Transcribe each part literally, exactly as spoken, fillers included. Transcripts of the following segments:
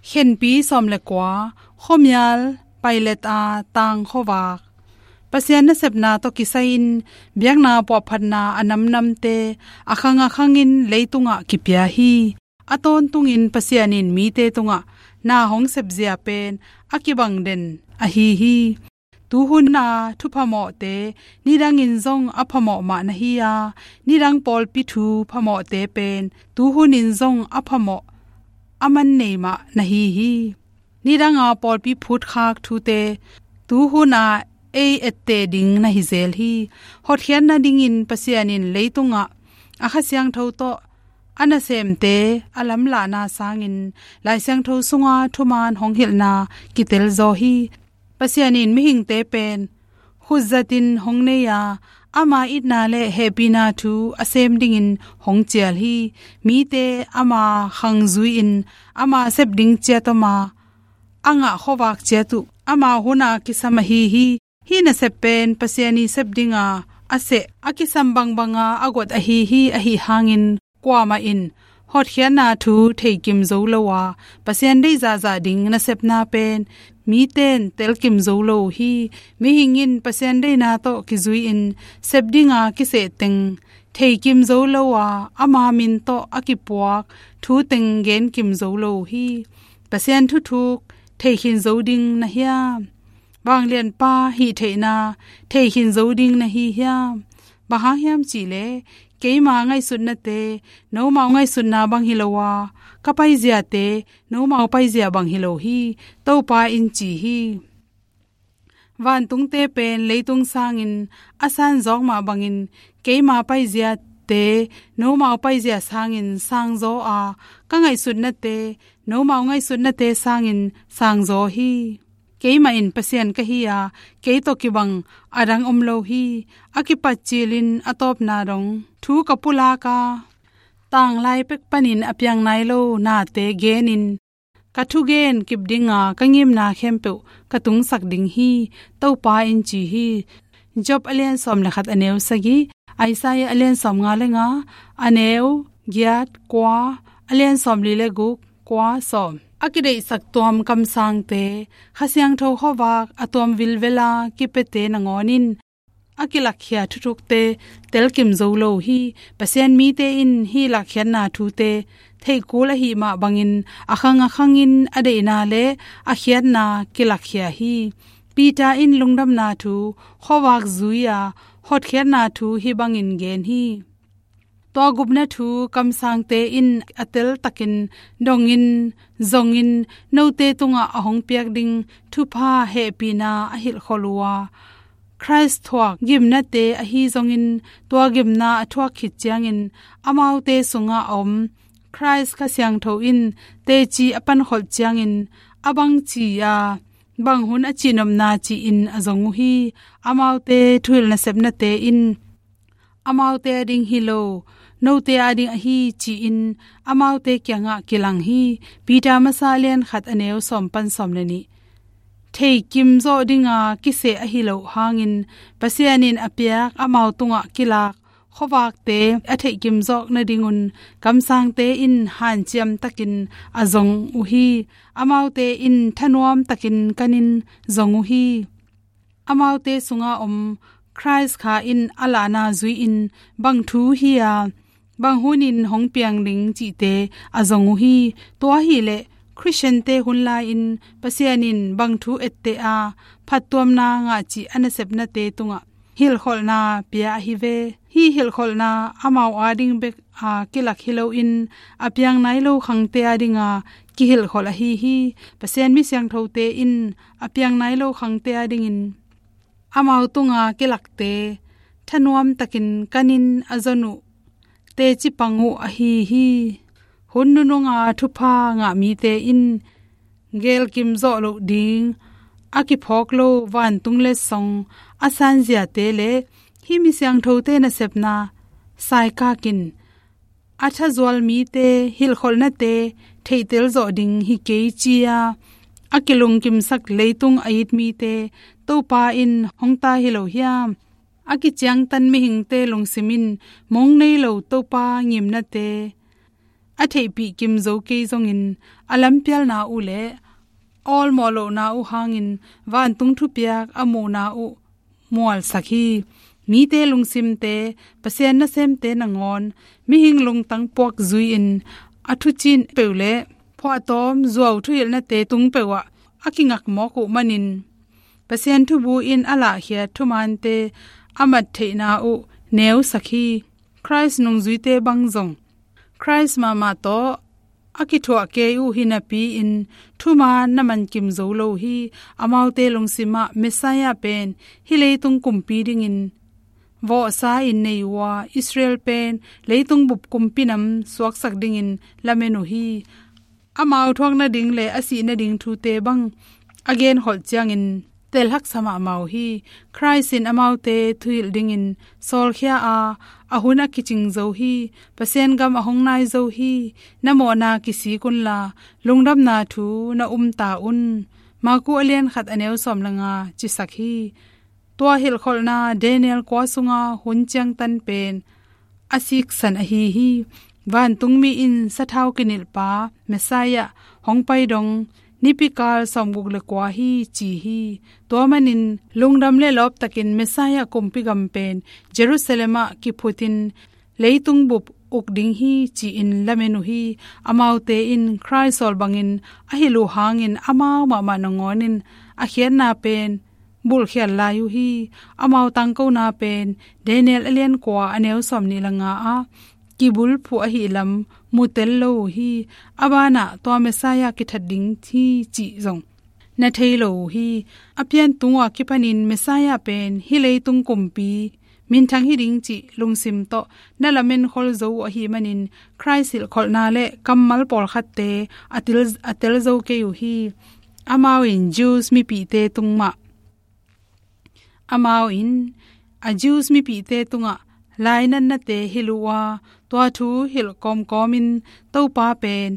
Khenpi sawm le kua, khuamial, Pilate a tang khuavak. Pasian nasepna tawh kisai-in biakna puahphatna a namnamte a khang a khangin leitungah kipia hi. A tawntungin Pasian in mite tungah na hong sepzia pen a kibang den ahi hi. Tuhun a thu phamawhte nidangin zong a phamawh mah na hi a, nidang pawlpi thu phamawhte pen tuhunin zong a phamawh a man nei mah na hi hi. Nidanga pawlpi phutkhak thute tuhun a ei etteh ding na hi zel hi. Hotkhiat nadingin Pasian in leitungah a Kha Siangtho tawh a nasemte a lamlahna sangin Lai Siangtho sunga thuman hong hilhna kitel zaw hi. Pasian in mihingte pen khutzatin hong nei a, ama itna le hehpihna thu a sem dingin hong cial hi. Mite ama khang zui-in ama sep ding ciat om a, a ngah khuavak ciat uh ama hun a kisam ahi hi. Hih nasep pen Pasian i sep dinga a seh, a kisam bangbanga a guat ahi hi. Ahih hangin kuamah in hotkhiatna thu theikim zo lo a, Pasian deih zahzah ding nasepna pen miten telkim zo lo uh hi. Mihing in Pasian deihna tawh kizui-in sep dinga kiseh teng theikim zo lo a, ama min tawh a kipuak thu teng genkim zo lo uh hi. Pasian thuthuk theikhin zo ding na hiam? Vanglianpa hih theihna theikhin zo ding na hi hiam? Bang hang hiam cihleh, keima ngaihsutnate nomau ngaihsutna bang hi lo a, ka paiziate nomau paizia bang hi lo hi, Topa in ci hi. Vantungte pen leitung sangin a sanzawk mah bangin keima paiziate nomau paizia sangin sangzaw a, ka ngaihsutnate nomau ngaihsutnate sangin sangzaw hi. Keimah in Pasian ka hi a, kei tawh kibang a dang om lo hi. A kipat cilin a tawpna dong thu ka pulak a, tanglai pek panin a piang nai lo nate genin ka thugen kip dinga ka ngimna khempeuh ka tungsak ding hi, Topa in ci hi. Job a lian sawm le khat a neu sagih, Isaiah a lian sawm nga le nga, a neu giat, kua, a lian sawm li le guk, kua, sawm. A kideihsak tuam kamsangte, Kha Siangtho khuavak a tuam vilvela kipiate nangawn in a kilakkhia thuthukte telkim zo lo uh hi. Pasian mite in hih lakkhiatna thute theih kul ahih mah bangin a khang a khangin a deihna le a khiatna kilakkhia hi. Peter in lungdamna thu khuavak zui a, hotkhiatna thu hih bangin gen hi. Tua gupna thu kamsangte in a teltakin dongin, zongin, note tungah a hong piak ding thupha hehpihna a hilhkholh uh a, Khrist thuak gimnate ahi zongin, tua gimna a thuak khit ciangin amaute sungah a om Khrist Kha Siangtho in teci a pankholh ciangin a bangci a, bang hun a cihnopna ci-in a zong uh hi. Amaute thuhilh nasepnate in amaute ading hi lo, note ading ahi ci-in amaute kiangah kilang hi. Peter masa a lian khat a neu sawm pan sawm le nih. Theikim zawh dinga kiseh ahi loh hangin Pasian in a piak amau tungah kilak khuavakte a theihkim zawk nadingun kamsangte in hanciam takin a zong uh hi. Amaute in thanuam takin kanin zong uh hi. Amaute sunga om Khrist Kha in a lahna zui-in bang thu hi a, bang hunin hong piang ding cihte a zong uh hi. Tua hileh Khristiante hun lai-in Pasian in bang thu etteh a, phattuamna ngah cih a nasepnate tungah hilhkholhna pia ahi ve. Hih hilhkholhna amau ading bek a kilak hi loin a piang nai lo khangte adinga kihilhkholh ahi hi. Pasian mi siangthote in a piang nai lo khangte adingin amau tunga kilakte thanuam takin kanin a zon uh teci pang uh ahi hi. Hun nununga thupha ngah mite in gelkim zawh loh ding a kiphawk lo vantung letsong a sanziate le hih mi siangthote nasepna saikak in a thazual mite hilhkholhnate theihtel zawh ding hi kei ci-a a kilungkimsak leitung a it mite Topa in hong tai hi lo hiam? A kiciangtan mihingte lungsim in mong nei lo Topa ngimnate a theihpih kim zo kei zongin a lampialna uh le awlmawh lohna uh hangin vantung thupiak a muhna uh mualsak hi. Mite lungsimte, Pasian nasemte nangawn mihing lungtang puak zui-in a thucin peuh le phuahtawm zuau thuhilhnate tung peuhah a kingak mawk uh manin Pasian thubu in a lahkhiat thumaante a mat theihna uh neusak hi. Khrist nungzuite bang zong Khrist mahmah tawh a kithuah kei uh hi napi-in thumaan na mankim zo lo hi. Amaute lungsimah Messiah pen hih leitung kumpi dingin vawhsa-in nei uh a, Israel pen leitung bup kumpi nam suaksak dingin lamen uh hi. Amau thuak nading le a sih nading thute bang a genkholh ciangin telhaksa mahmah uh hi. Khrist in amaute thuhilh dingin sawlkhia a, a hun a kicing zo hi. Pasian gam a hong nai zo hi. Na mawhna kisik unla, lungdamna thu na um ta un. Maku a lian khat a neu sawm le nga cisak hi. Tua hilhkholhna Daniel kua sunga hun ciangtan pen a siksan ahi hi. Vantungmi in sathau kinilhpa Messiah hong pai dong nipikal sawmguk le kua hi ci hi. Tua manin lungdam le lawptakin Messiah kumpi gam pen Jerusalem ah kiphutin leitung bup uk ding hi ci-in lamen uh hi. Amaute in Khrist sawl bangin a hilh uh hangin amau mahmah nangawnin a khiatna pen bulhkhial lai uh hi. Amau tangkona pen Daniel a lian kua a neu sawm nih le nga ah kibulphuh ahi lam mutel lo uh hi. A banah tua Messiah kithat ding hi cih zong na thei lo uh hi. A pian tung uh a kipanin Messiah pen hih leitung kumpi minthang hi ding cih lungsim tawh na lamen khol zo uh ahi manin Khrist hilhkholhna le kammal pawlkhatte a til, a tel zo kei uh hi. Amau in Jews mipihte tung mah Amau in a Jews mipihte tungah lainatnate hilh uh a, tua thu hilh kawmkawmin Topa pen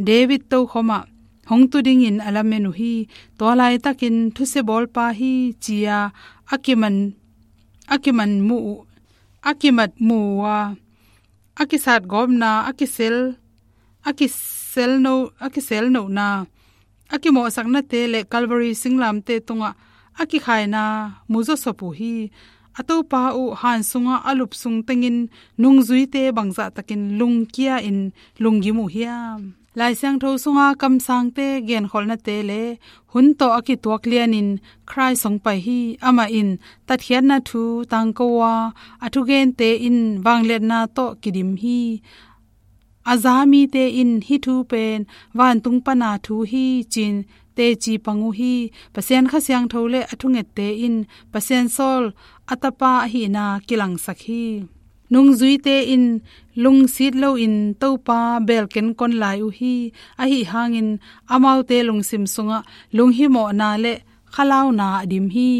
David tokhomah hong tu dingin a lamen uh hi. Tua laitakin thusia bawlpa hi ci-a a kiman, a kiman muh uh, a kimat muh uh a, a kisatgawpna, a kisel, a kiselno, a kiselnohna, a kimawhsaknate le Calvary singlamte tungah a kikhaina mu zawsop uh hi. A Topa uh han sungah a lup sung tengin nungzuite bangzahtakin lungkia-in lunggim uh hiam? Lai Siangtho sunga kamsangte genkholhnate le hun tawh a kituak lianin Khrist hong pai hi. Amah in tatkhiatna thu tangko a, a thugente in vangliatna tawh kidim hi. A za mite in hih thu pen vantung pana thu hi ci-in teci pang uh hi. Pasian Kha Siangtho le a thungette in Pasian sawl a tapa ahihna kilangsak hi. Nungzuite in lungsit loin Topa belken kon lai uh hi. Ahi hangin amaute lungsim sungah lunghimawhna le khalauna a dim hi.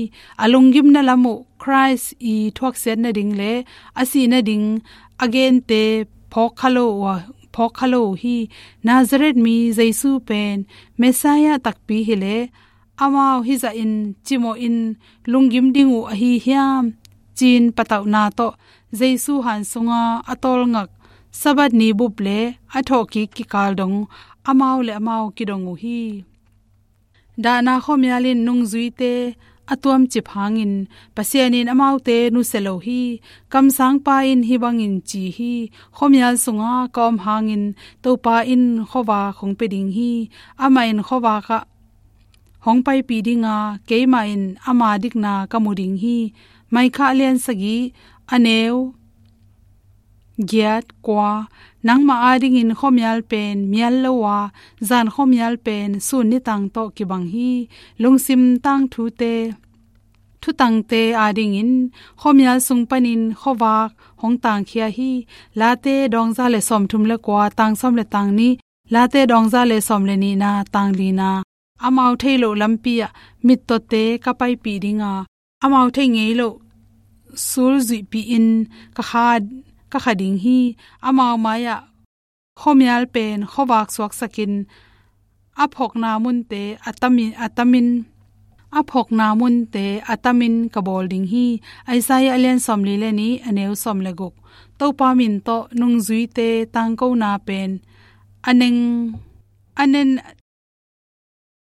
A lunggimna lam uh Khrist i thuaksiat nading le a sih nading a gente phawk kha lo uh, phawk kha lo uh hi. Nazareth mi Jesu pen Messiah takpi hileh amau hizah in cimawhin lunggim ding uh ahi hiam? Ci-in patauhna tawh Jesu han sunga a tawlngak Sabbath ni bup le a thawhkik kikal dong amau le amau kidong uh hi. Dahna khuamial in nungzuite a tuamcip hangin Pasian in amaute nusia lo hi. Kamsangpa in hih bangin ci hi: Khuamial sunga ka om hangin Topa in khuavak hong pia ding hi. Amah in khuavak ah hong paipih dinga keimah in ama dikna ka mu ding hi. Micah lian sagih a neu giat, kua. Nangmah adingin khuamial pen mial lo a, zan khuamial pen sun nitang tawh kibang hi. Lungsim tangthute, thutangte adingin khuamial sung panin khuavak hong tangkhia hi. Late dawngza le sawmthum le kua, tang sawm le tang nih, Late dawngza le sawm le nihna, tang lina. Amau thei loh lampi ah mittawte ka paipih dinga, amau thei ngei loh sul zuihpih in ka kha, ka kha ding hi. Amau mai-ah khuamial pen khuavak suaksakin a phawkna munte a tamin, a tamin, a phawkna munte a tamin ka bawl ding hi. Isaiah a lian sawmli le nih, a neu sawm le guk. Topa min tawh nungzuite tangkona pen a neng, a nen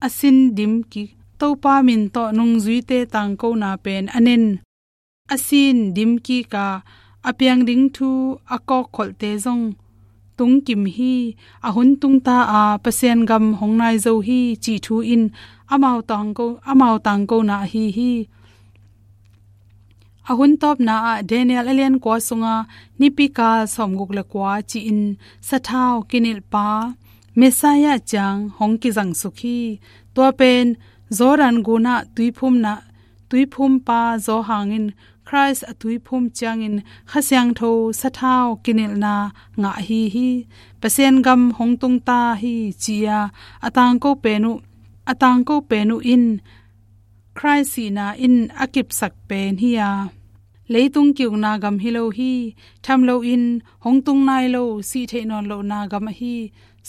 a sin dim kik, Topa min tawh nungzuite tangkona pen a nen a sin dim kik a, a piang ding thu a kawkkholhte zong tungkim hi. A hun tungta a, Pasian gam hong nai zo hi cih thu in amau tangko, amau tangkona ahi hi. A hun tawpna ah Daniel a lian kua sunga nipikal sawmguk le kua ci-in sathau kinilhpa Messiah ciang hong kizangsuk hi. Tua pen Jordan gunah tuiphumna, tuiphumpa Johan in Christ a tuiphum ciangin Kha Siangtho sathau kinilhna ngah ahi hi. Pasian gam hong tungta hi ci-a a tangko pen uh, a tangko pen uh in Christ sihna in a kipsak pen hi a, leitung ki-ukna gam hi lo hi. Tham loin hong tung nai lo, sih theih nawn lohna gam ahi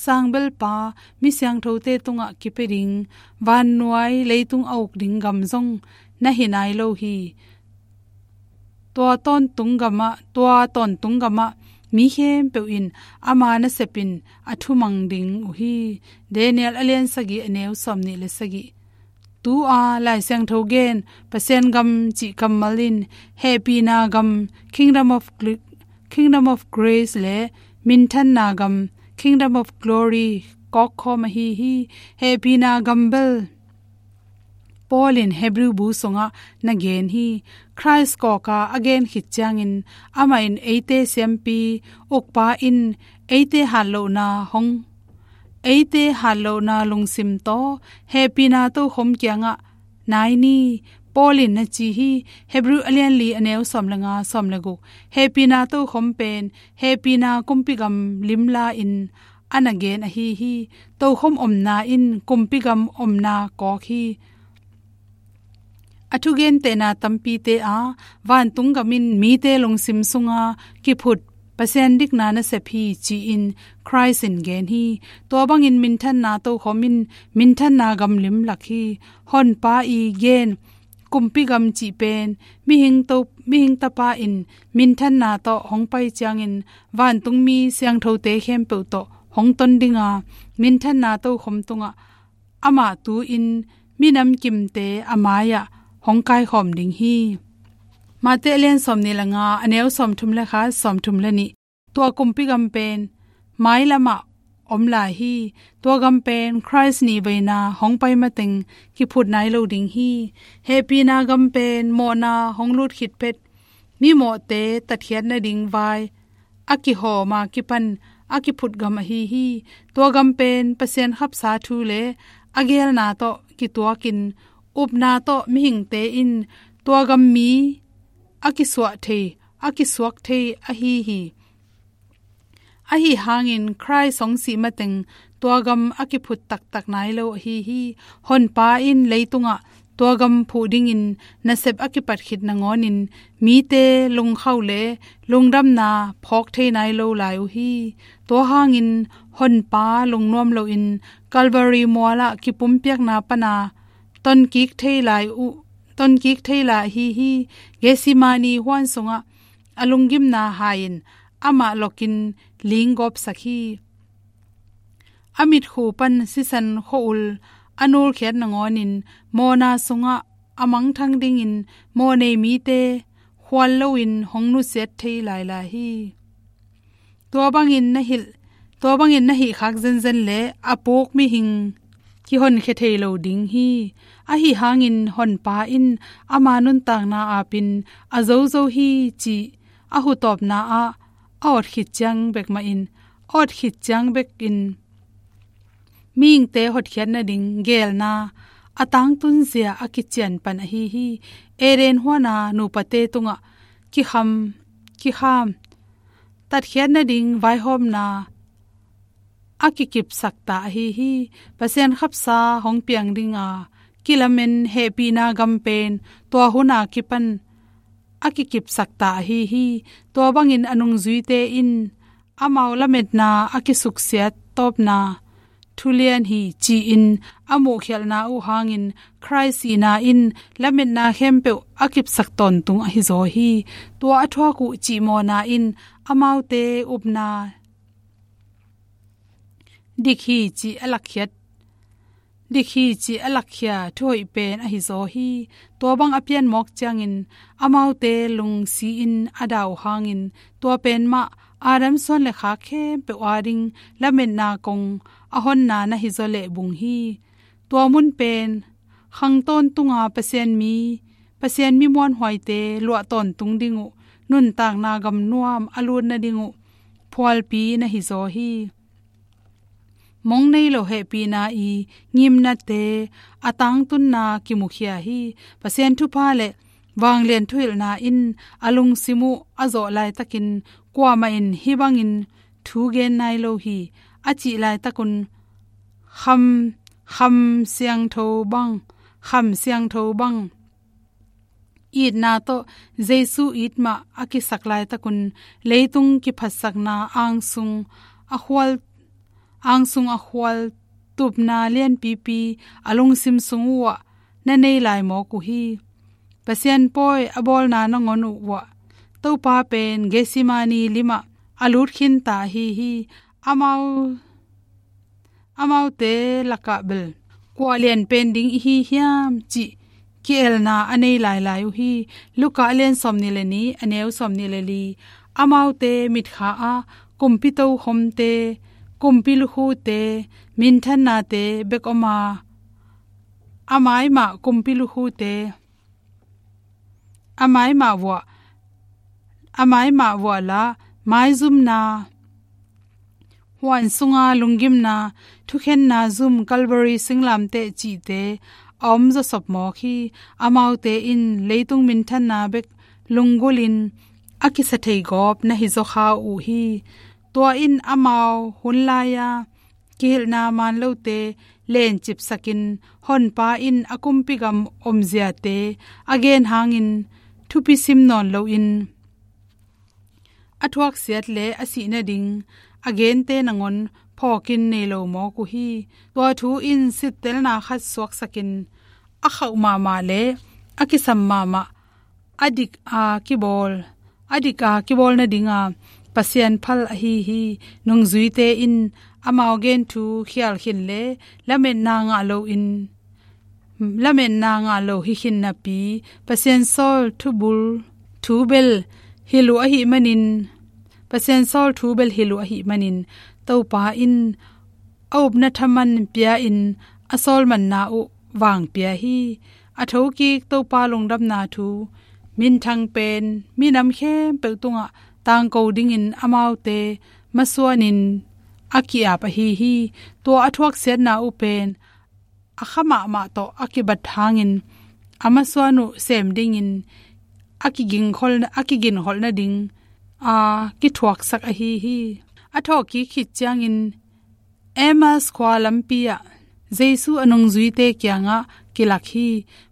sangbelpa mi siangthote tungah kipia ding, vannuai leitung a uk ding gam zong na hi nai lo hi. Tua tawntung gamah, tua tawntung gamah mi khempeuh in ama nasepin a thumang ding uh hi. Daniel a lian sagih, a neu sawmnih le sagih. Tu-a Lai Siangtho gen Pasian gam cih kammal in hehpihna gam, Kingdom of Gl-, Kingdom of Grace, le minthanna gam, Kingdom of Glory, kawkkhawm ahi hi. Hehpihna gam bel Paul in Hebrew bu sungah na gen hi. Christ kawka a gen khit ciangin amah in eite siampi ukpa in eite hatlohna hong, eite hatlohna lungsim tawh hehpihna tokhom kiangah nai ni. Paul in na ci hi. Hebrew a lian li, a neu sawm le nga, sawm le guk. Hehpihna tokhom pen hehpihna kumpi gam limla in a na gen ahi hi. Tokhom omna in kumpi gam omna kawk hi. A thugentehna tampite a, vantung gam in mite lungsim sunga kiphut Pasian dikna nasep hi ci-in Christ in gen hi. Tua bangin minthanna tokhom in minthanna gam limlak hi. Honpa i gen kumpi gam cih pen mihing to, mihing tapa in minthanna tawh hong pai ciangin vantungmi siangthote khempeuh tawh hong ton dinga, minthanna tokhom tungah amah tu-in minam kimte a mai-ah hong kaikhawm ding hi. Mate a lian sawmnih le nga, a neu sawmthum le khat, sawmthum le nih. Tua kumpi gam pen mailamah om lai hi. Tua gam pen Christ nihveina hong pai mateng kiphut nai lo ding hi. Hehpihna gam pen mawhna hong lut khit phet mimawhte tatkhiat nading vai a kihawm a kipan a kiphut gam ahi hi. Tua gam pen Pasian khapsa thu le a geelna tawh kituakin upna tawh mihingte in tua gam mi a kisuah thei, a kisuak thei ahi hi. Ahi hangin Christ hong sih mateng tua gam a kiphut taktak nai lo ahi hi. Honpa in leitungah tua gam phuh dingin nasep a kipat khit nangawnin mite lungkhauh le lungdamna phawk thei nai lo lai uh hi. Tua hangin Honpa lungnuam loin Calvary mualah kipumpiakna pana tonkik thei lai uh, tonkik thei lai ahi hi. Gethsemane huan sungah a lunggimna hai-in amah lokin linggawpsak hi. A mitkhu pan sisan khua-ul a nulkhiat nangawnin mawhna sungah a mangthang dingin mawhnei mite khual loin hong nusiat thei lailai hi. Tua bangin na hilh, tua bangin na hihkhak zenzen le a puk mihing kihonkhia thei lo ding hi. Ahi hangin Honpa in ama nuntakna apin a zozo hi cih a hutawpna ah a awt khit ciang bek mahin, a awt khit ciang bekin mihingte hotkhiat nading geelna a tangtunzia a kician pan ahi hi. Eden huana nupate tungah kikham, kikham tatkhiat nading vaihawmna a kikipsak ta ahi hi. Pasian khapsa hong piang dinga kilamen hehpihna gam pen tua huna kipan a kikipsak ta ahi hi. Tua bangin a nungzuite in amau lametna a kisuksiat tawpna thulian hi ci-in a muhkhialhna uh hangin Christ sihna in lametna khempeuh a kipsak tawntung ahi zaw hi. Tua a thuak uh cihmawhna in amaute upna dik hi cih a lakkhiat, dik hi cih a lakkhia thuhoih pen ahi zaw hi. Tua bang a pian mawk ciangin amaute lungsi-in a dah uh hangin tua pen mah Adam suan le khak khempeuh ading lametna kong a honna na hi zaw leh bung hi. Tua mun pen khang tawntunga Pasian mi, Pasian mi muanhuaite luah tawntung ding uh, nuntakna gamnuam a lut nading uh phualpi na hi zaw hi. Mong nei lo hehpihna i ngimnate a tangtunna kimukhia hi. Pasian thupha le vanglian thuhilhna in a lungsim uh a zawh laitakin kuamah in hih bangin thu gen nai lo hi a cih laitakun kham, kham siangtho bang, kham siangtho bang itna tawh Jesu it mah a kisak laitakun leitung kiphatsakna angsung a khual, angsung a khual tupna lianpipi a lungsim sung uhah na nei lai mawk uh hi. Pasian pawi a bawlna nangawn uh uhah Topa pen Gethsemane limah a lut khinta ahi hi. Amau amaute lakah bel kua lian pen ding i hi hiam cih ki-elna a nei lailai uh hi. Luka a lian sawmnih le nih, a neu sawmnih le li. Amaute mitkha ah kumpi tokhomte, kumpi lukhute, minthannate bek om a, a mai mah kumpi lukhute a mai mah vuah, a mai mah vuah la, maizumna, huan sunga lunggimna, thukhenna zum, Calvary singlamteh cihte a om zawsop mawk hi. Amaute in leitung minthanna bek lunggulhin a kisa thei gawp na hi zaw kha uh hi. Tua in amau hun lai-a kihilhna man lote lencipsakin Honpa in a kumpi gam omziate a gen hangin thupi sim nawn loin a thuaksiat le a sih nading a gente nangawn phawkin nei lo mawk uh hi. Tua thu in sittelna khat suaksakin a khauh mahmah le a kisam mahmah a dik a kibawl, a dik a kibawl nadinga Pasian phal ahi hi. Nungzuite in amau gen thu khial khin le lametna ngah loin, lametna ngah lo hi khin napi, Pasian sawl thubul, thu bel hilh uh ahih manin, Pasian sawl thu bel hilh uh ahih manin, Topa in a upna thaman pia-in a sawlmanna uh vang pia hi. A thokik Topa lungdamna thu minthang pen minam khempeuh tungah tangko dingin amaute masuanin a ki-ap ahi hi. Tua a thuaksiatna uh pen a kha mahmah tawh a kibat hangin a masuan uh sem dingin a kigingkhol, a kiginkholh nading a kithuaksak ahi hi. A thawhkik khit ciangin Emmaus khua lampi ah Jesu a nungzuite kiangah kilak hi.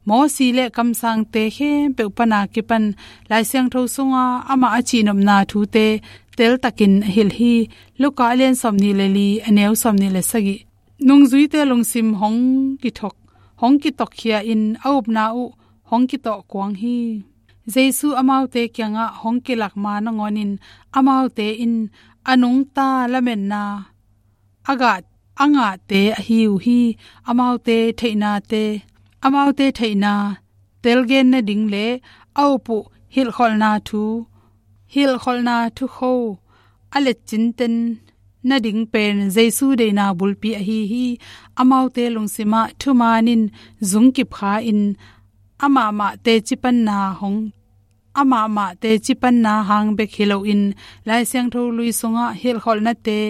Mawsi le kamsangte khempeuh pana kipan Lai Siangtho sunga amah a cihnopna thute teltakin a hilh hi. Luka a lian sawmnih le li, a neu sawmnih le sagih. Nungzuite lungsim hong kithok, hong kitokkhia in a upna uh hong kitawh kuang hi. Jesu amaute kiangah hong kilak ma nangawnin amaute in a nungta lametna a gah, a ngahte ahi uh hi. Amaute theihnate, amaute theihna telgen nading le a up uh hilhkholhna thu, hilhkholhna thukho a letcinten nading pen Jesu deihna bulpi ahi hi. Amaute lungsimah thuman in zungkip kha in amahmah tecipanna hong, amahmah tecipanna hang bek hi loin Lai Siangtho lui sungah hilhkholhnate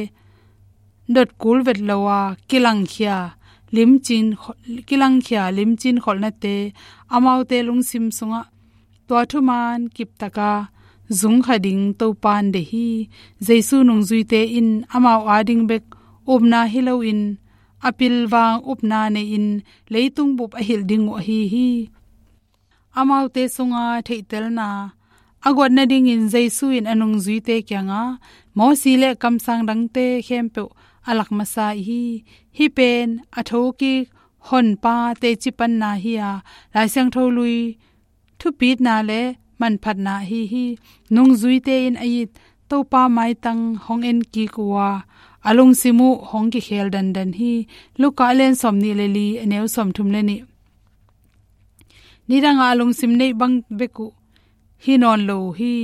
dot kul vet lo a kilangkhia limcin, kilangkhia limcin kholhnate amaute lungsim sungah tua thuman kiptaka zungkha ding Topan deih hi. Jesu nungzuite in amau ading bek upna hi loin a pilvang upna nei-in leitung bup a hilh ding uh ahi hi. Amaute sunga theihtelna a guat nadingin Jesu in a nungzuite kiangah Mawsi le kamsang dangte khempeuh a lak masa hi. Hih pen a thokik Honpa tecipanna hi a, Lai Siangtho lui thupitna le manphatna ahi hi. Nungzuite in a it Topa maitang hong en kik uh a, a lungsim uh hong kikhel dandan hi. Luka a lian sawmnih le li, a neu sawmthum le nih. Nidang a lungsim neih bang bek uh hi nawn lo uh hi.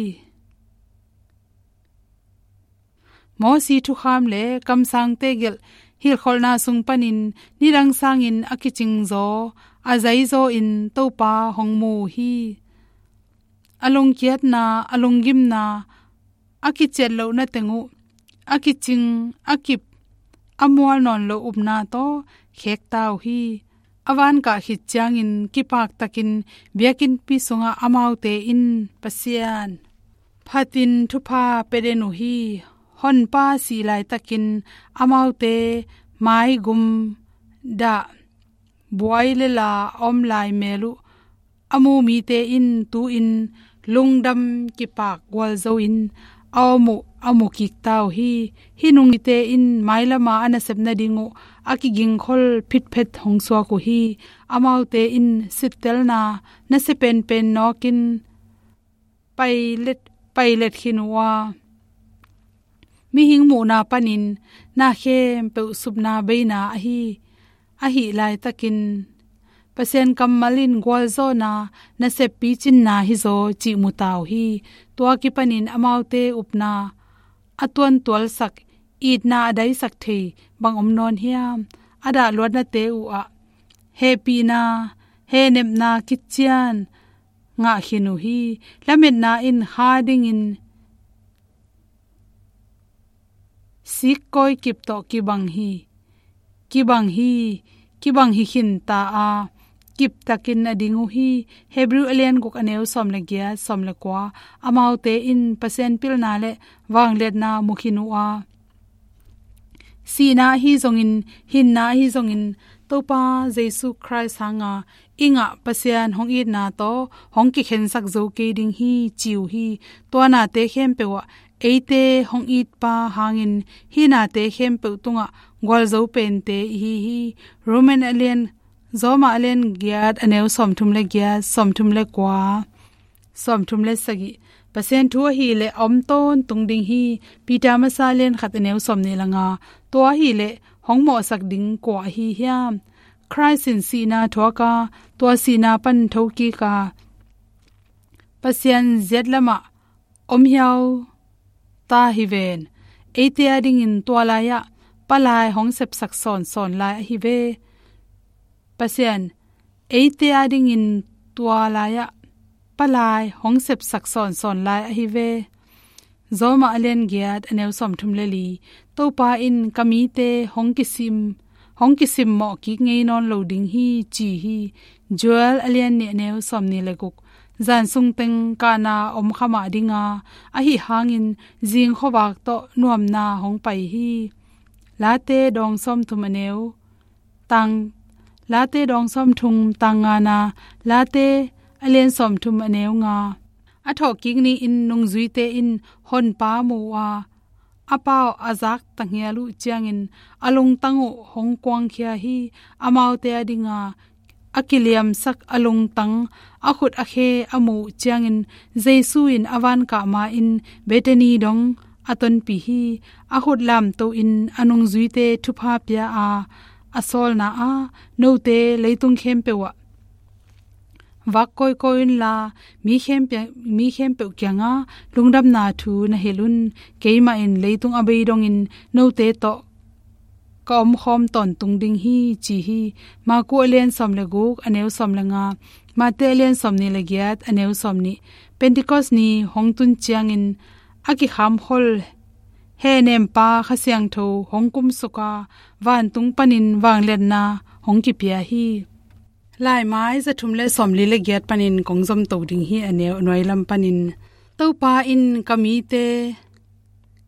Mosi thukham le kamsangte gelh hilhkholhna sung panin nidang sangin a kicingzaw, a zaizawin Topa hong mu uh hi. A lungkiatna, a lunggimna, a kiciat lohna teng uh, a kicing, a kip, a mual nawn lo upna tawh khekta uh hi. A vankah khit ciangin kipaktakin biakinnpi sungah amaute in Pasian phatin thupha pia den uh hi. Honpa sih laitakin amaute maigum dah, buai le la a om lai mel uh a mu mite in tu-in lungdam kipak gualzoin a om uh a mu kikta uh hi. Hih nungzuite in mailama a nasep nading uh a kigingkhol phitphet hong suak uh hi. Amaute in sittelna nasia penpen nawkin pailet, pailet khin uh a, mihing muhna panin na khempeuh supna beina ahi, ahih laitakin Pasian kammal in gualzawhna, nasep picinna hizaw cih mu ta uh hi. Tua kipanin amaute upna a tuantualsak, itna a daisak thei bang om nawn hiam? A dahluatnate uh ah hehpihna, hehnepna kician ngah khin uh hi. Lametna in kha dingin sikkawi kip tawh kibang hi, kibang hi, kibang hi khin ta a, kiptakin a ding uh hi. Hebrew a lian guk, a neu sawm le giat, sawm le kua. Amaute in Pasian pilna le vangliatna mu khin uh a, sihna ahi zongin, hinna ahi zongin, Topa Jesu Khrist hanga i ngah Pasian hong itna tawh hong kikhensak zo kei ding hi, ci uh hi. Tua nate khempeuh ah eite hong itpa hangin hih nate khempeuh tungah gualzo pente i hi hi. Roman a lian, Roma a lian giat, a neu sawmthum le giat, sawmthum le kua, sawmthum le sagih. Pasian thu ahih leh a om tawntung ding hi. Peter masa a lian khat, a neu sawmnih le nga. Tua ahih leh hong mawhsak ding kua ahi hiam? Khrist in sihna thuak a, tua sihna pan thokik a, Pasian ziat lamah om hiau ta hi ven. Eite adingin tua lai-ah palai hong sepsak sawnsawn lai ahi ve. Pasian eite adingin tua lai-ah palai hong sepsak sawnsawn lai ahi ve. Roma a lian giat, a neu sawmthum le li. Topa in ka mite hong kisim, hong kisimmawh kik ngei nawn lo ding hi, ci hi. Joel a lian nih, a neu sawmnih le guk. Zan sungteng kahna om kha mah ding a, ahi hangin zing khuavak tawh nuamna hong pai hi. Late dawng sawmthum, a neu tang, Late dawng sawmthum, tang ngana, Late a lian sawmthum, a neu nga. A thawhkik ni-in nungzuite in Honpa mu a, a pau a zak tanghial uh ciangin a lungtang uh hong kuangkhia hi. Amaute adinga a kiliamsak a lungtang, a khut a khe a muh ciangin Jesu in a vankah ma-in Bethany dong a tonpih hi. A khut lamto in a nungzuite thupha pia a, a sawlna ah, note leitung khempeuh ah vak kawikawi unla, mi khempeuh, mi khempeuh kiangah lungdamna thu na hilh un. Keimah in leitung a bei dongin note tawh ka omkhawm tawntung ding hi, ci hi. Marku a lian sawm le guk, a neu sawm le nga. Mate a lian sawmnih le giat, a neu sawmnih. Pentecost ni hong tun ciangin a kikhamkhol hehnempa Kha Siangtho hong kumsuk a, vantung panin vangliatna hong kipia hi. Laimai za thum le sawmli le giat panin kong zomto ding hi, a neu nuai lam panin. Topa in ka mite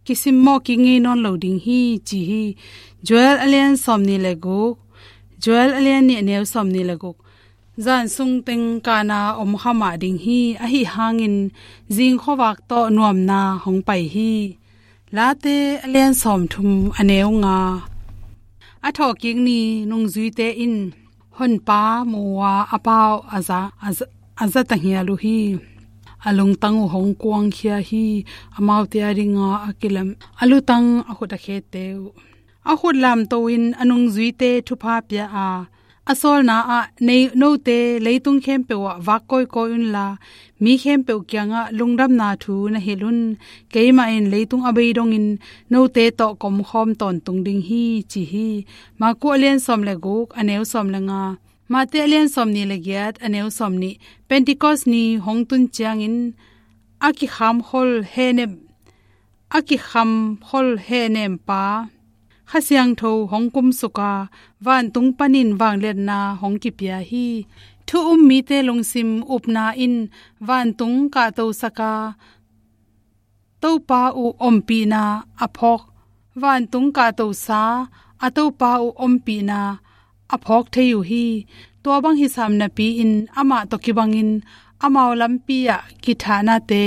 kisimmawh kik ngei nawn lo ding hi, ci hi. Joel a lian sawmnih le guk, Joel a lian nih, a neu sawmnih le guk. Zan sungteng kahna om kha mah ding hi, ahi hangin zing khuavak tawh nuamna hong pai hi. Late a lian sawmthum, a neu nga. A thawhkik ni nungzuite in Honpa mu a, a pau a za, a za, a za tanghial uh hi. a lungtang uh hong kuangkhia hi. Amaute a dinga a kilam, a lutang, a khut a khete uh, a khut lamto in a nungzuite thupha pia a, a sawlna ah, "Nei, note leitung khempeuh ah vak kawikawi unla, mi khempeuh kiangah lungdamna thu na hilh un. Keimah in leitung a bei dongin note tawh ka omkhawm tawntung ding hi," ci hi. Marku a lian sawm le guk, a neu sawm le nga. Mate a lian sawm nih le giat, a neu sawm nih. Pentecost ni hong tun ciangin a kikhamkhol hehnem, a kikhamkhol hehnempa Kha Siangtho hong kumsuk a, vantung panin vangliatna hong kipia hi. Thu um mite lungsim upna in vantung kahtosak a, Topa uh ompihna a phawk, vantung kahtosa a Topa uh ompihna a phawk thei uh hi. Tua bang hi sam napi-in amah tawh kibangin amau lampi ah kithahnate,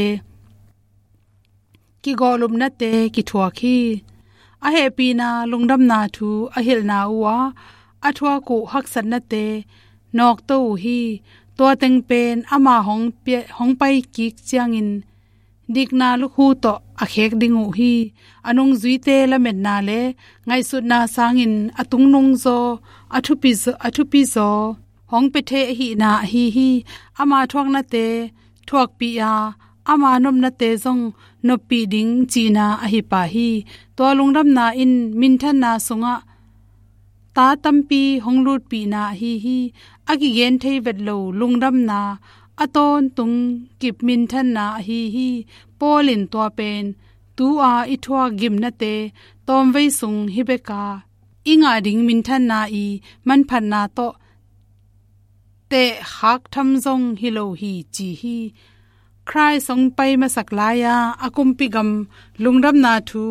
kigawhlupnate kithuak hi. A hehpihna lungdamna thu a hilhna uhah a thuak uh haksatnate nawkto uh hi. Tua teng pen ama hong pia-, hong paikik ciangin dikna lukhu tawh a khek ding uh hi. A nungzuite lametna le ngaihsutna sangin a tungnungzaw, a thupizaw, a thupizaw hong pia thei ahihna ahi hi. Ama thuaknate thuakpih a, ama nopnate zong noppih ding cihna ahi pah hi. Tua lungdamna in minthanna sungah ta tampi hong lutpihna ahi hi. A kigen thei vet lo lungdamna, a tawntung kip minthanna ahi hi. Paul in tua pen, "Tu-a i thuak gimnate tawmvei sung hi bek a, i ngah ding minthanna i manphatna tawh tehkhak tham zong hi lo hi," ci hi. Khrih hong pai masak lai-a a kumpi gam lungdamna thu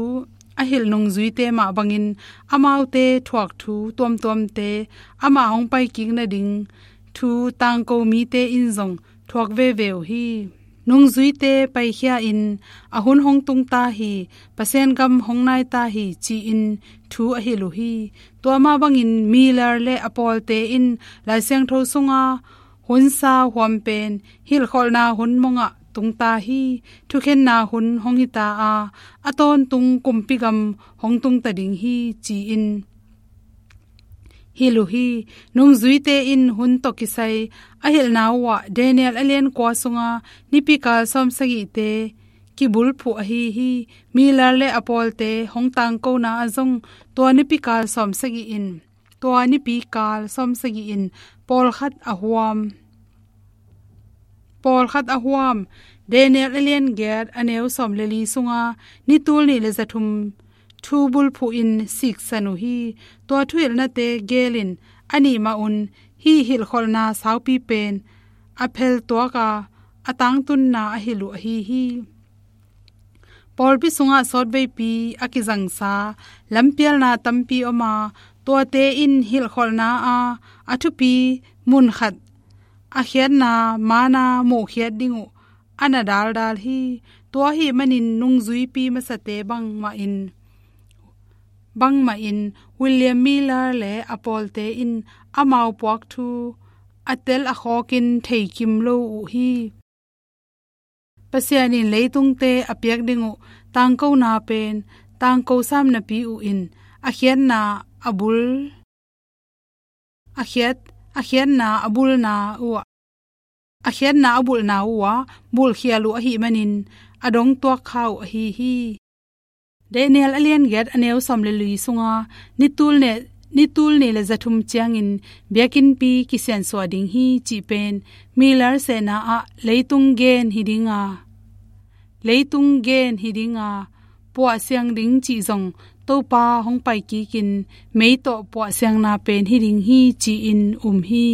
a hilh nungzuite mah bangin amaute thuak thu tuamtuamte amah hong paikik nading thu tangko mite in zong thuak veve uh hi. Nungzuite paikhia in, "A hun hong tung ta hi, Pasian gam hong nai ta hi," ci-in thu a hilh uh hi. Tua mah bangin Miller le a pawlte in Lai Siangtho sunga hun sau huam pen hilhkholhna hun mongah tung ta hi. Thukhenna hun hong hi ta a, a tawntung kumpi gam hong tung ta ding hi, ci-in hilh uh hi. Nungzuite in hun tawh kisai a hilhna uhah Daniel a lian kua sunga nipikal sawmsagihte kibulphuh ahi hi. Miller le a pawlte hong tangkona ah zong tua nipikal sawmsagih in, tua nipikal sawmsagih in pawlkhat a huam, pawlkhat a huam. Daniel a lian giat, a neu sawm le li sunga ni tul nih le za thum thu bulphuh in siksan uh hi. Tua thuhilhnate gelin a nih mah un hih hilhkholhna saupi pen a pheltuak a, a tangtunna a hilh uh ahi hi. Pawlpi sungah sawtveipi a kizangsa lampialna tampi om a, tuate in hilhkholhna a, a thupi munkhat a khiatna mana muhkhiat ding uh a na daldal hi. Tua ahih manin nungzuipi masate bangmah in, bangmah in William Miller le a pawlte in amau puak thu a tel a khawkin theikim lo uh hi. Pasian in leitungte a piak ding uh tangkona pen tangko sam napi uh in a khiatna a bul, a khiat, a khiatna a bulna uh ah, a khiatna a bulhna uh ah bulhkhial uh ahih manin a dongtuak kha uh ahi hi. Daniel a lian giat, a neu sawm le li sunga ni tul ne, ni tul nih le za thum ciangin biakinnpi kisiansuah ding hi cih pen Miller sehna ah leitung gen hi ding a, leitung gen hi ding a, puahsiang ding cih zong Topa hong paikikin mei tawh puahsiangna pen hi ding hi ci-in um hi.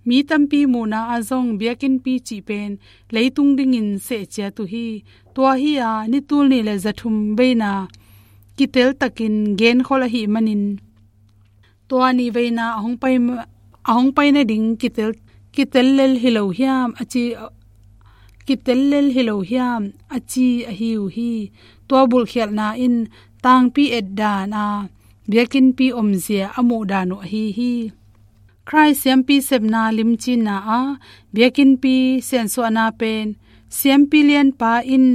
Mi tampi muhna ah zong biakinnpi cih pen leitung dingin sehciat uh hi. Tua hi a, ni tul nih le za thum veina kiteltakin genkhol ahih manin tua nih veina a hong pai ma-, a hong pai nading kitel, kitel lel hi lo hiam a ci, kitel lel hi lo hiam a ci ahi uh hi. Tua bulhkhialhna in tangpi etdan a biakinnpi omzia a muhdan uh ahi hi. Khrih siampi sepna limcinna a biakinnpi siansuahna pen Siampi lianpa in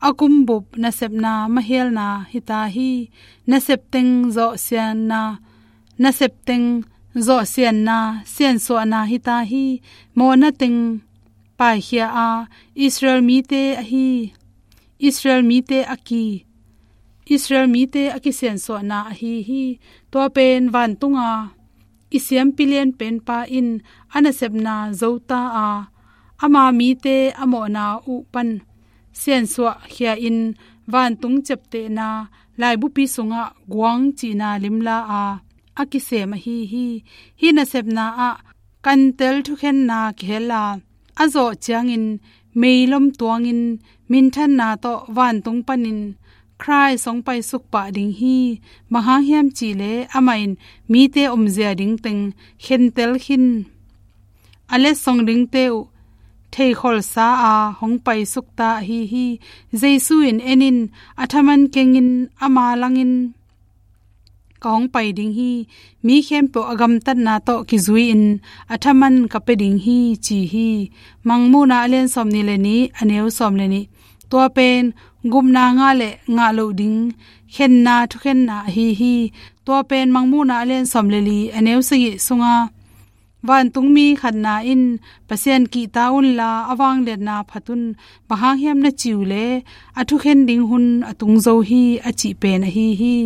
a kumbup nasepna mahialna hita hi. Nasep teng zawhsianna, nasep teng zawhsianna, siansuahna hita hi. Mawhna teng paikhia a, Israel mite ahi, Israel mite a ki, Israel mite a kisiansuahna ahi hi. Tua pen vantunga i siampi lianpenpa in a nasepna zota a, ama mite a mawhna uh pan siansuahkhia in vantung ciaptehna laibupi sungah guang cihna limla a, a kisem ahi hi. Hih nasepna ah kantel thukhenna kihel a, a zawh ciangin meilom tuangin minthanna tawh vantung panin Khrih hong paisuk pah ding hi. Bang hang hiam cihleh amah in mite omzia ding teng khentel khin a, letsong dingte uh theikholsa a hong paisukta ahi hi. Jesu in, "En in, a thaman kengin ama langin ka hong pai ding hi. Mi khempeuh a gamtatna tawh kizui-in a thaman ka pia ding hi," ci hi. Mangmuhna a lian sawmnih le nih, a neu sawm le nih. Tua pen gupna ngah le ngah loh ding khenna thukhenna ahi hi. Tua pen Mangmuhna a lian sawm le li, a neu sagih sunga, "Vantungmi khatna in, 'Pasian kihta unla a vangliatna phat un, bang hang hiam na ci uh leh a thukhen ding hun a tung zo hi,' a cih pen ahi hi."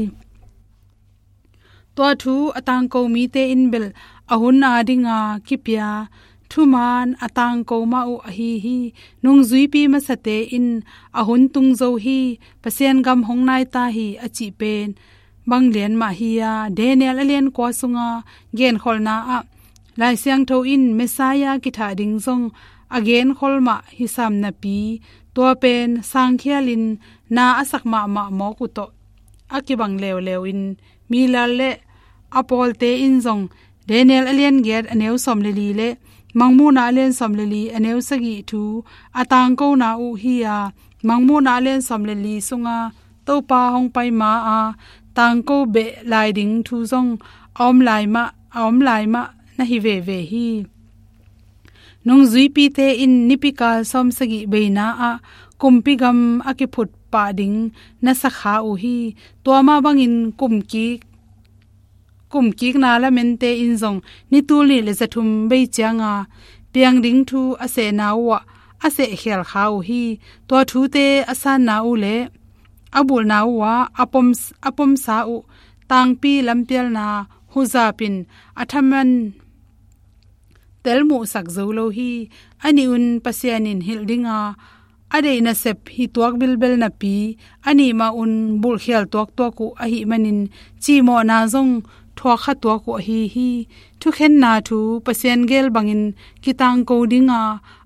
Tua thu a tangko mite in bel a hun a dinga kipia thumaan a tangko mah uh ahi hi. Nungzuipi masate in, "A hun tung zo hi, Pasian gam hong nai ta hi," a cih pen bang lian mah hi a, Daniel a lian kua sunga genkholhna ah Lai Siangtho in Messiah kithah ding zong a genkhol mah hi sam napi, tua pen sangkhialin na a sak mahmah mawk uh tawh a kibang leuleu in, Miller le a pawlte in zong Daniel a lian giat, a neu sawm le li le Mangmuhna a lian sawm le li, a neu sagih thu a tangkona uh hi a, Mangmuhna a lian sawm le li sunga Topa hong pai ma-a tangko beh lai ding thu zong a om lai mah, a om lai mah na hi veve hi. Nungzuipite in nipikal sawmsagih beina ah kumpi gam a kiphut pah ding na sakha uh hi. Tua mah bangin kumkik, kumkikna lamente in zong ni tul nih le zathum bei cianga piang ding thu a sehna uh ah a sehkhial kha uh hi. Tua thute a sanna uh le a bulhna uh ah a pom, a pomsa uh tangpi lampialna huzap in a thaman tel muhsak zo lo hi. A nih un Pasian in hilh dinga a deih nasep hi tuak bilbel napi, a nih mah un bulhkhial tuaktuak uh ahih manin cihmawhna zong thuakkha tuak uh ahi hi. Thukhenna thu Pasian gel bangin kitangko dinga,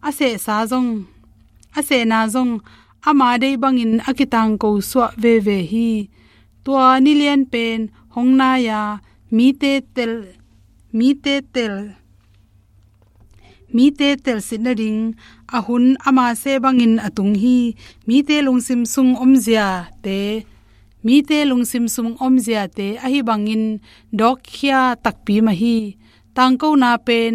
a sehsa zong, a sehna zong ama deih bangin a kitangko suah veve hi. Tua nilian pen hong nai-a mite tel, mite tel, mite telsit nading a hun ama seh bangin a tung hi. Mite lungsim sung omziate, mite lungsim sung omziate ahi bangin dawkkhia takpi mah hi. Tangkona pen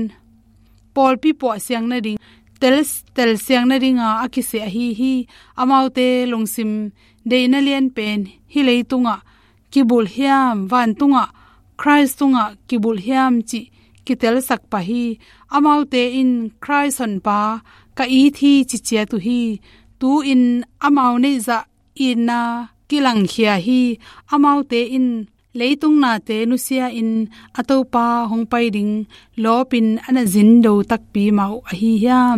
pawlpi puahsiang nading, tel, telsiang nadinga a kiseh ahi hi. Amaute lungsim deihna lian pen hih leitungah kibulh hiam, vantungah Khrih tungah kibulh hiam cih kitelsak pah hi. Amaute in Khrih honpa ka it hi ci ciat uh hi. Tu-in amau neihzah itna kilangkhia hi. Amaute in leitung nate nusia-in a Topa hong pai ding lawpin a na zindo takpi mah uh ahi hiam?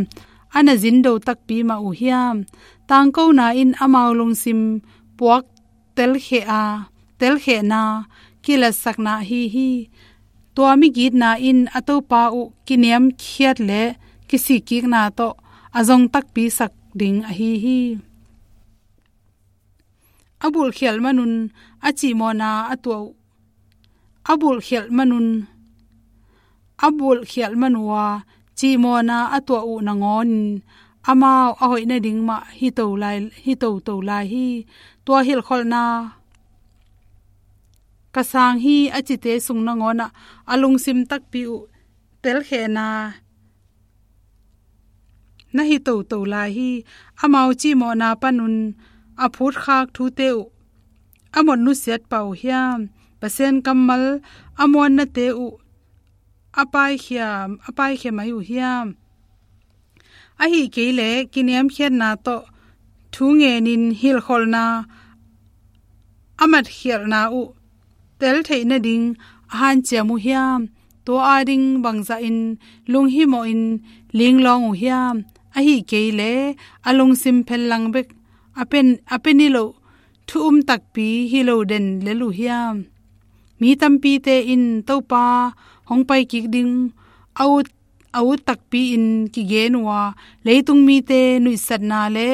A na zindo takpi mah uh hiam? Tangkona in amau lungsim puak telkheh a, telkhehna kilatsakna ahi hi. Tua migitna in a Topa uh kiniamkhiat le kisikkikna tawh a zong takpisak ding ahi hi. A bulhkhialh manun a cihmawhna a tuah uh, a bulhkhialh manun, a bulhkhialh man uh a cihmawhna a tuah uh nangawnin amau a hoih nading mah hi to lai, hi toto lai hi. Tua hilhkholhna ka sang hi a cite sung nangawnah a lungsim takpi uh telkhehna na hi toto lai hi. Amau cihmawhna panun a phutkhak thute uh a mot nusiat pah uh hiam? Pasian kammal a muannate uh a paikhia, a paikhia mai uh hiam? Ahi kei leh kiniamkhiatna tawh thu ngenin hilhkholhna a matkhialhna uh tel theih nading a hanciam uh hiam? Tua ading bangzahin lunghimawhin linglawng uh hiam? Ahi kei leh a lungsim phellang bek a pen, a pe niloh thu um takpi hi lo den lel uh hiam? Mi tampite in Topa hong paikik ding a ut, a ut takpi-in kigen uh a, leitung mite nuihsatna le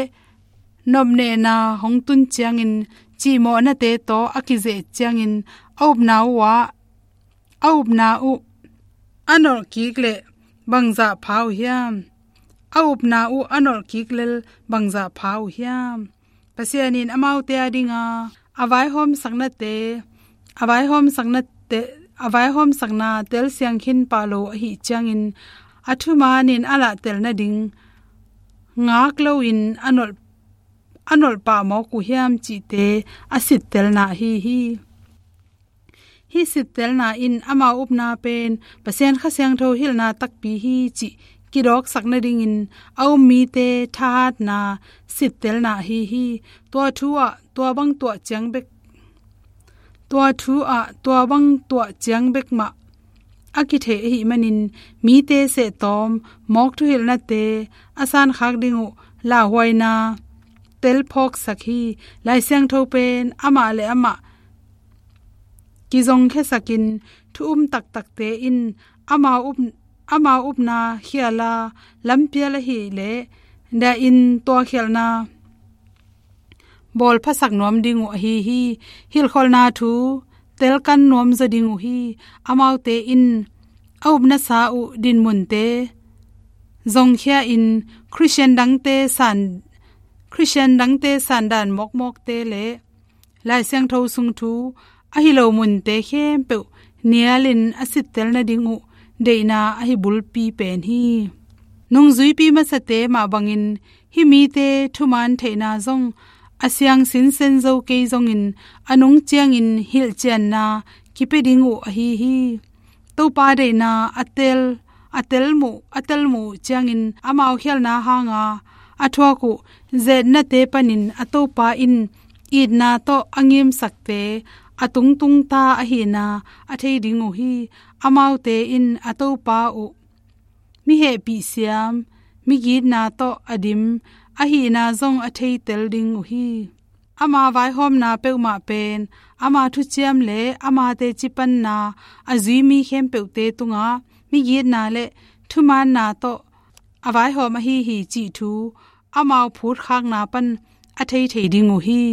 nopnehna hong tun ciangin cihmawhnate tawh a kizeh ciangin a upna uh ah, a upna uh a nolhkik leh bangzah pha uh hiam? A upna uh a nolhkik lel bangzah pha uh hiam? Pasian in amaute adinga a vaihawmsaknate, a vaihawmsaknate, a vaihawmsakna telsiang khin pah lo ahih ciangin a thumanin a lahtel nading ngak loin a nolh, a nolh pah mawk uh hiam cihte a sittelna ahi hi. Hih sittelna in amau upna pen Pasian Kha Siangtho hilhna takpi hi cih kidawksak nadingin a um mite thahatna sittelna ahi hi. Tua thu ah tua bang tuah ciang bek, tua thu ah tua bang tuah ciang bek mah a kithei ahih manin mite sehtawm mawk thuhilhnate a sankhak ding uh lauhuaina telphawksak hi. Lai Siangtho pen amah le amah kizongkhiasakin thu um taktakte in amau up, amau upna khiala lampial ahih leh dahin tuakhialhna bawlphasak nuam ding uh ahi hi. Hilhkholhna thu telkan nuamzaw ding uh hi. Amaute in a upnasa uh dinmunte zongkhia-in Khristian dangte san, Khristian dangte sandan mawkmawkte le Lai Siangtho sung thu ahi lo munte khempeuh nialin a sittel nading uh deihna ahi bulpi pen hi. Nungzuipi masate mah bangin hih mite thuman theihna zong a siang sinsen zo kei zongin a nung ciangin hilhcianna kipia ding uh ahi hi. Topa deihna a tel, a tel muh, a tel muh ciangin amau khialhna hanga a thuak uh zetnate panin a Topa in itna tawh a ngimsakte a tungtungta ahihna a thei ding uh hi. Amaute in a Topa uh mi hehpih siam, mi gitna tawh a dim ahihna zong a theitel ding uh hi. Ama vaihawmna peuhmah pen ama thuciam le ama teci panna a zui mi khempeuhte tungah mi gitna le thumaanna tawh a vaihawm ahi hi cih thu amau phutkhakna pan a thei thei ding uh hi.